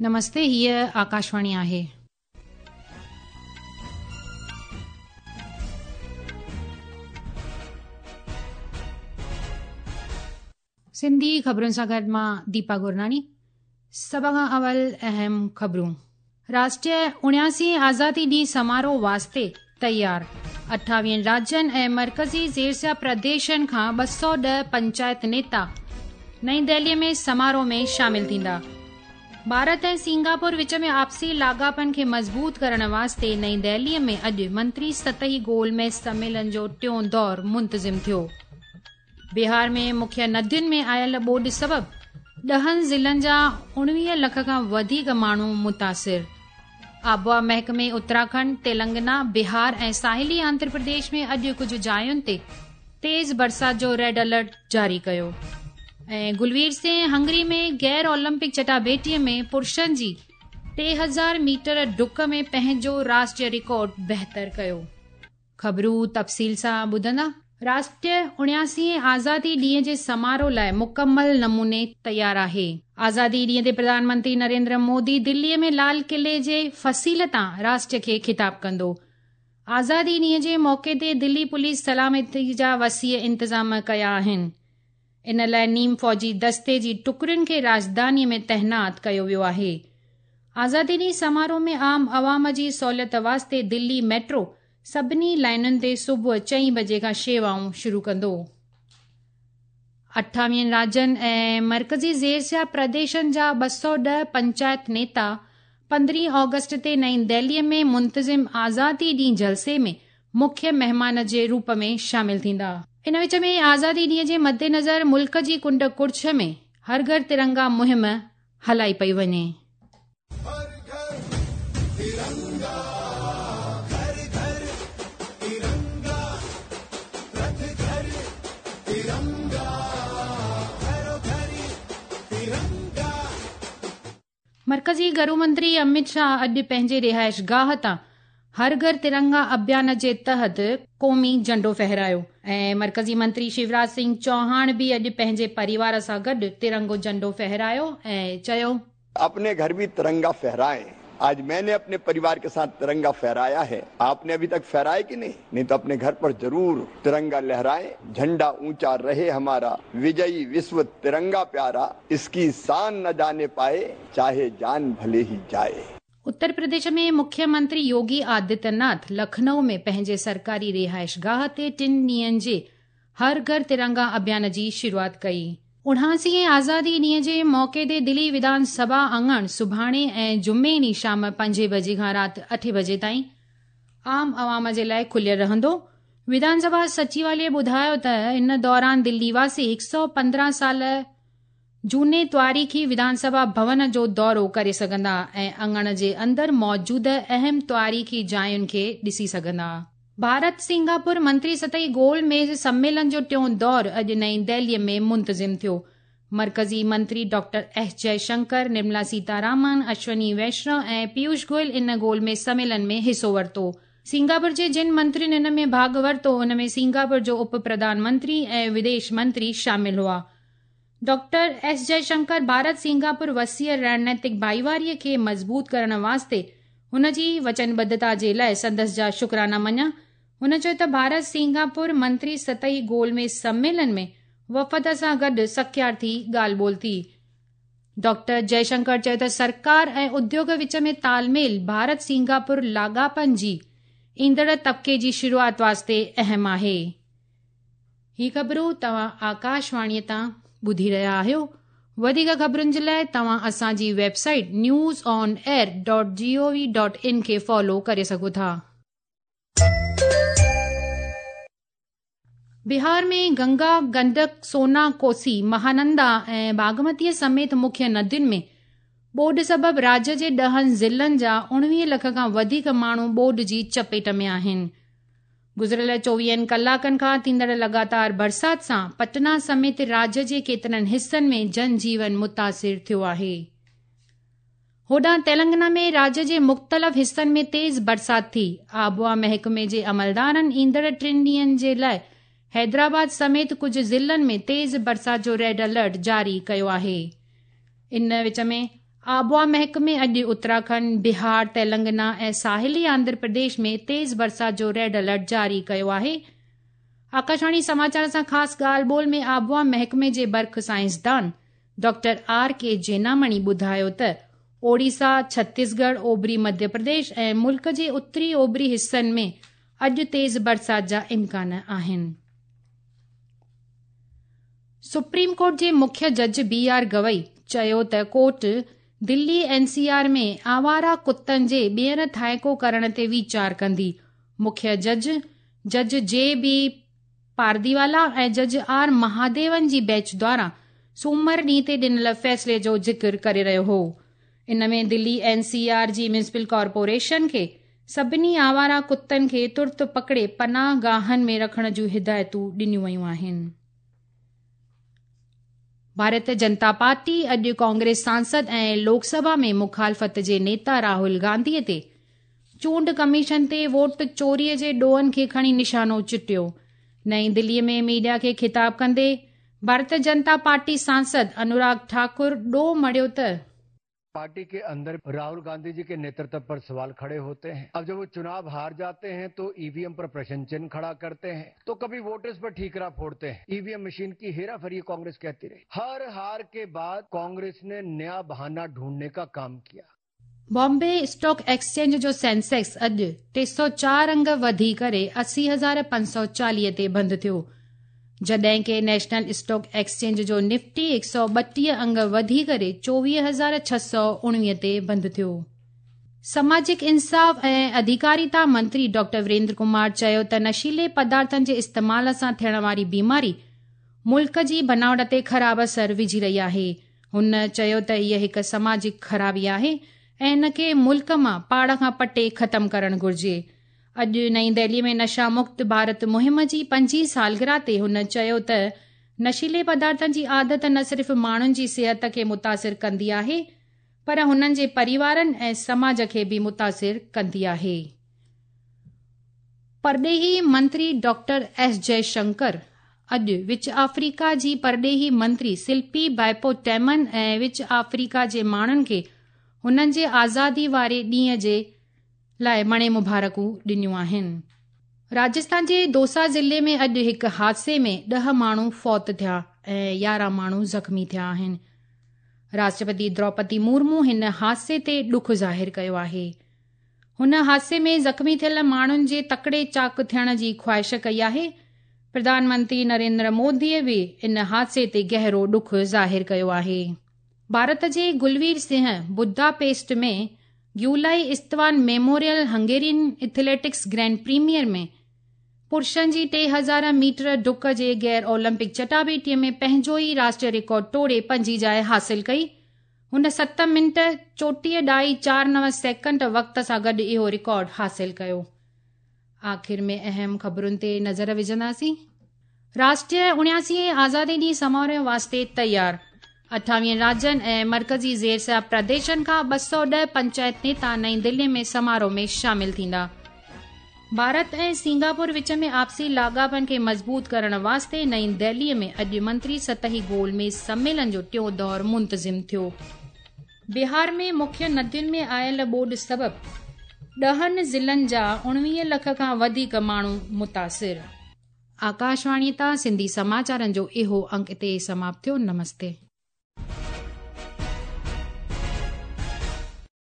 نمستي هيء آڪاشواڻي آهي. سنڌي خبرن سان گڏ مان ديپا گرناڻي سڀ کان اول اهم خبرون. راشٽريه 79 آزادي ڏينهن سماروهه واسطي تيار 28 راجين ۽ مرڪزي زيرسيا پرديشن کان 210 پنچائت نيتا نئين دهلي ۾ سماروهه ۾ شامل ٿيندا. ڀارت ۽ سنگاپور وچ ۾ آپسي لاڳاپن کي مضبوط ڪرڻ واسطي نئين دهلي ۾ اڄ منتري سطحي گول ميز سميلن جو ٽيون دور منتظم ٿيو. بهار ۾ مکيه ندين ۾ آيل ٻوڏ سبب 10 ضلعن جا 19 لک کان وڌيڪ ماڻهو متاثر. آبهوا محڪمي اتراکنڊ، تيلنگنا، بهار ۽ ساحلي آنڌرا پرديش ۾ اڄ ڪجهه جاين تي تيز برسات جو ريڊ الرٽ جاري ڪيو. ۽ گلوير سنگهه هنگري ۾ غير اولمپڪ چٽاڀيٽي ۾ پرشن جي 3000 ميٽر ڊڪ ۾ پنهنجو راشٽريه رڪارڊ بهتر ڪيو. خبرون تفصيل سان ٻڌندا. راشٽريه 79 آزادي ڏينهن جي سماروهه لاء مڪمل نموني تيار آهي. آزادي ڏينهن تي پرڌان منتري نريندر مودي دلي ۾ لال قلعي جي فصيل تان راشٽر کي خطاب ڪندو. آزادي ڏينهن جي موقعي تي دلي پوليس سلامتي جا وسيع انتظام ڪيا آهن. ان لاء نيم فوجي دستي جي ٽڪڙين کي راڄڌاني ۾ تعينات ڪيو ويو آهي. آزادي ڏينهن سماروهه ۾ عام عوام جي سهوليت واسطي دلي ميٽرو سڀني لائينن تي صبح چئين بجي کان شيوائون شروع ڪندو. 28 راجين ۽ مرڪزي زيرسيا پرديشن جا 210 پنچائت نيتا 15 آگسٽ تي نئين دهلي ۾ منتظم آزادي ڏينهن جلسي ۾ مکيه مهمان جي روپ ۾ شامل ٿيندا. ان وچ ۾ آزادي ڏينهن جي مدنظر ملڪ جي ڪنڊ ڪڙڇ ۾ هر گهر ترنگا مهم هلائي پئي وڃي. مرڪزي گهرو منتري امت شاهه اڄ پنهنجي رهائشگاهه تان هر گهر ترنگا اڀيان جي تحت قومي جهنڊو ڦهرايو ۽ مرڪزي منتري شيوراج سنگهه چوهاڻ به اڄ پنهنجي پريوار سان گڏ ترنگو جهنڊو ڦهرايو ۽ چيو. اپني گهر ڀي ترنگا ڦهرائين. آج مين ني اپني پريوار ڪي ساٿ ترنگا ڦهرايا هي. آپ ني اڀي تڪ ڦهرايا ڪي نهين؟ نهين تو اپني گهر پر ضرور ترنگا لهرائين. جهنڊا اونچا رهي همارا، وجئي وشو ترنگا پيارا، اسڪي شان نه جاني پائي، چاهي جان ڀلي هي جائي. اتر پرديش ۾ مکيه منتري يوگي آدتيه ناٿ لکنؤ ۾ پنهنجي سرڪاري رهائشگاهه تي ٽن ڏينهن جي هر گهر ترنگا اڀيان جي شروعات ڪئي. 79 هين آزادي ڏينهن جي موقعي تي دلي وڌان سڀا اڱڻ سڀاڻي ۽ جمعي ڏينهن شام پنجين بجي کان رات اٺين بجي تائين عام عوام جي لاء کليل رهندو. وڌان سڀا سچيواليه ٻڌايو ته ان دوران دلي واسي 115 سال جهوني تواريخي وڌان سڀا ڀون جو دورو ڪري سگهندا ۽ اڱڻ جي اندر موجود اهم تواريخي جاين کي ڏسي سگهندا. ڀارت سنگاپور منتري سطحي گول ميز سميلن جو ٽيون دور اڄ نئين دهلي ۾ منتظم ٿيو. مرڪزي منتري ڊاڪٽر ايس جئه شنڪر، نرملا سيتارامن، اشوني ويشنو ۽ پيوش گوئل ان گول ميز سميلن ۾ حصو ورتو. سنگاپور جي جن منترين ان ۾ ڀاڳ ورتو ان ۾ سنگاپور جو اپ پرڌان منتري ۽ وديش منتري شامل هئا. ڊاڪٽر ايس جئه شنڪر ڀارت سنگاپور وسيع رڻنيتڪ ڀائيواري کي مضبوط ڪرڻ واسطي هن جي وچنبڌتا جي لاء سندس جا شڪرانا مڃيا. هن چيو ته ڀارت سنگاپور منتري سطحي گول ميز سميلن ۾ وفد سان گڏ سکيارٿي ڳالهه ٻولهه ٿي. ڊاڪٽر جئه شنڪر چيو ته سرڪار ۽ اديوگ وچ ۾ تال ميل ڀارت سنگاپور لاڳاپن جي ايندڙ طبقي جي شروعات واسطي اهم آهي. هي خبرون توهان آڪاشواڻي تان ٻڌي رهيا آهيو. وڌيڪ خبرن جي لاء توهان اسان جي website news on air dot G O V dot in کي فالو ڪري سگهو ٿا. بهار ۾ گنگا، گنڊڪ، سونا، ڪوسي، مهانندا ۽ باگمتيء سميت مکيه ندين ۾ ٻوڏ سبب راجيه جي 10 ضلعن جا 19 لک کان وڌيڪ ماڻهو ٻوڏ جي چپيٽ ۾ آهن. گذريل 24 ڪلاڪن کان ٿيندڙ لڳاتار برسات سان پٽنا سميت راجيه جي ڪيترن حصن ۾ جن جيون متاثر ٿيو آهي. هوڏانهن تيلنگنا ۾ راجيه جي مختلف حصن ۾ تيز برسات ٿي. آبهوا محڪمي جي عملدارن ايندڙ ٽن ڏينهن جي لاء حيدرآباد سميت ڪجهه ضلعن ۾ تيز برسات جو ريڊ الرٽ جاري ڪيو آهي. ان وچ ۾ آبهوا محڪمي اڄ اتراکنڊ، بهار، تيلنگنا ۽ ساحلي آنڌرا پرديش ۾ تيز برسات جو ريڊ الرٽ جاري ڪيو آهي. آڪاشواڻي سماچار سان خاص ڳالهه ٻولهه ۾ آبهوا محڪمي جي برک سائنسدان ڊاڪٽر آر ڪي جينامڻي ٻڌايو ته اوڙيسا، ڇتيسڳڙهه، اوڀري مڌيه پرديش ۽ ملڪ جي اتري اوڀري حصن ۾ اڄ تيز برسات جا امڪان آهن. سپريم ڪورٽ جي مکيه جج بي آر گوئي چيو ته court Delhi N C R ۾ آواره ڪتن جي ٻيهر ٿانيڪو ڪرڻ تي ويچار ڪندي. مکيه جج، جج جي بي پارديوالا ۽ جج آر مهاديون جي بينچ دواران سومر ڏينهن تي ڏنل فيصلي جو ذڪر ڪري رهيو هو. ان ۾ دلي اين سي آر جي ميونسپل ڪارپوريشن کي سڀني آواره ڪتن کي ترت پڪڙي پناهه گاهن ۾ رکڻ جون هدايتون ڏنيون ويون آهن. ڀارتيه جنتا پارٽي اڄ ڪانگريس سانسد ۽ لوڪ سڀا ۾ مخالفت جي نيتا راهول گانڌي تي چونڊ ڪميشن تي ووٽ چوري جي ڏوهن کي کڻي نشانو چٽيو. نئين دلي ۾ ميڊيا کي خطاب ڪندي ڀارتيه جنتا پارٽي سانسد انوراگ ٺاڪر ڏوهه مڙهيو ته. पार्टी के अंदर राहुल गांधी जी के नेतृत्व पर सवाल खड़े होते हैं। अब जब वो चुनाव हार जाते हैं तो ईवीएम पर प्रश्न चिन्ह खड़ा करते हैं, तो कभी वोटर्स पर ठीकरा फोड़ते हैं। ईवीएम मशीन की हेराफेरी कांग्रेस कहती रही। हर हार के बाद कांग्रेस ने नया बहाना ढूंढने का काम किया। बॉम्बे स्टॉक एक्सचेंज जो सेंसेक्स अॼु 304 अंग वधी करे 80,540 ते बंदि थियो, जॾहिं की नेशनल स्टॉक एक्सचेंज जो निफ्टी 132 अंग वधी करे 24,619 ते बंदि थियो। समाजिक इंसाफ़ ऐं अधिकारिता मंत्री डॉक्टर वीरेंद्र कुमार चयो त नशीले पदार्थनि जे इस्तेमाल सां थियण वारी बीमारी मुल्क जी बनावट ते ख़राब असर विझी रही आहे। हुन चयो त हीअ हिकु समाजिक ख़राबी आहे ऐं इन खे मुल्क मां पाड़ खां पटे ख़तमु करणु घुरिजे। अॼु नई दिल्ली में नशा मुक्त भारत मुहिम जी पंजीं सालगिरह ते हुन चयो त नशीले पदार्थनि जी आदत न सिर्फ़ माण्हुनि जी सिहत खे मुतासिर कंदी आहे पर हुननि जे परिवारनि ऐं समाज खे बि मुतासिर कंदी आहे। परॾेही मंत्री डॉक्टर एस जयशंकर अॼु विच आफ्रीका जी परॾेही मंत्री शिल्पी बायपो टेमन ऐं विच आफ्रीका जे माण्हुनि खे हुननि जे आज़ादी वारे ॾींहं जे लाइ मणे मुबारकूं ॾिनियूं आहिनि। राजस्थान जे दौसा ज़िले में अॼु हिकु हादसे में 10 माण्हू फौत थिया ऐं 11 माण्हू ज़ख़्मी थिया आहिनि। राष्ट्रपति द्रौपदी मुर्मू हिन हादसे ते ॾुख ज़ाहिर कयो आहे। हुन हादसे में ज़ख़्मी थियल माण्हुनि जे तकड़े चाक थियण जी ख़्वाहिश कई आहे। प्रधानमंत्री नरेंद्र मोदी बि इन हादसे ते गहरो ॾुख ज़ाहिर कयो आहे। भारत जे गुलवीर सिंह बुडापेस्ट में Gyulai Istvan memorial Hungarian athletics grand premier में पुरुषनि जी 3000 मीटर डुक जे गैर ओलंपिक चटाबेटीअ में पंहिंजो ई राष्ट्रीय रिकॉर्ड टोड़े पंजीं जाइ हासिल कई। हुन 7 मिंट 34.49 सेकंड वक़्त सां गॾु इहो रिकॉर्ड हासिल कयो। आख़िर में अहम ख़बरुनि ते नज़र विझंदासीं। राष्ट्रीय 79 आज़ादी ॾींहुं समारोह वास्ते तयार। 28 राज्यनि ऐं मर्कज़ी ज़ेर प्रदेशनि खां 210 पंचायत नेता नई दिल्ली में समारोह में शामिल थींदा। भारत ऐं सिंगापुर विच में आपसी लाॻापनि खे मज़बूत करण वास्ते नई दिल्लीअ में अॼु मंत्री सतही गोलमेज़ सम्मेलन जो टियों दौर मुंतज़िम थियो। बिहार में मुख्य नदियुनि में आयल ॿोॾ सबबि 10 ज़िलनि जा 19 लख खां वधीक माण्हू मुतासिर। आकाशवाणी तां सिंधी समाचारनि जो इहो अंक हिते समाप्त थियो। नमस्ते।